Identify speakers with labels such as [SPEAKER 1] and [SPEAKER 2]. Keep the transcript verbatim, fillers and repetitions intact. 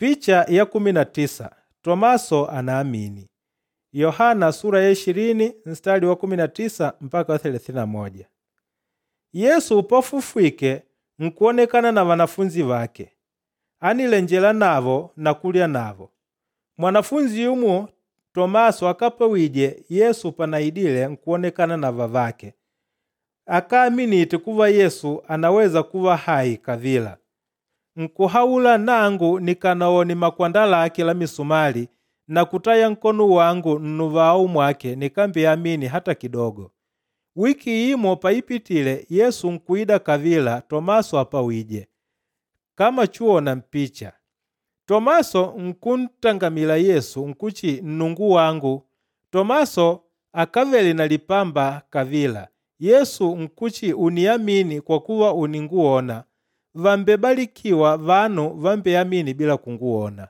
[SPEAKER 1] Picha ya kumi na tisa Tomaso anaamini. Yohana sura ya ishirini mstari wa kumi na tisa mpaka wa thelathini na moja. Yesu pafufwike nkuonekana na wanafunzi wake. Anilenjela navo na kulya navo. Mwanafunzi yumo Tomaso akapewije Yesu panaidile nkuonekana na vavake. Akaaminite kuva Yesu anaweza kuva hai kavila. Nkuhaula nangu nikanawone makwanda lake la misumali na kutaya nkono wangu nnuvao mwake nikambiamini hata kidogo. Wiki imo paipitile Yesu nkuida kavila Tomaso apawije. Kama chuwona mpicha. Tomaso nkuntangamila Yesu nkuchi Nnungu wangu. Tomaso akavele na lipamba kavila. Yesu nkuchi uniamini kwa kuva uninguwona. Vàmbebalikiwa vanu vambeamini bila kunguwona.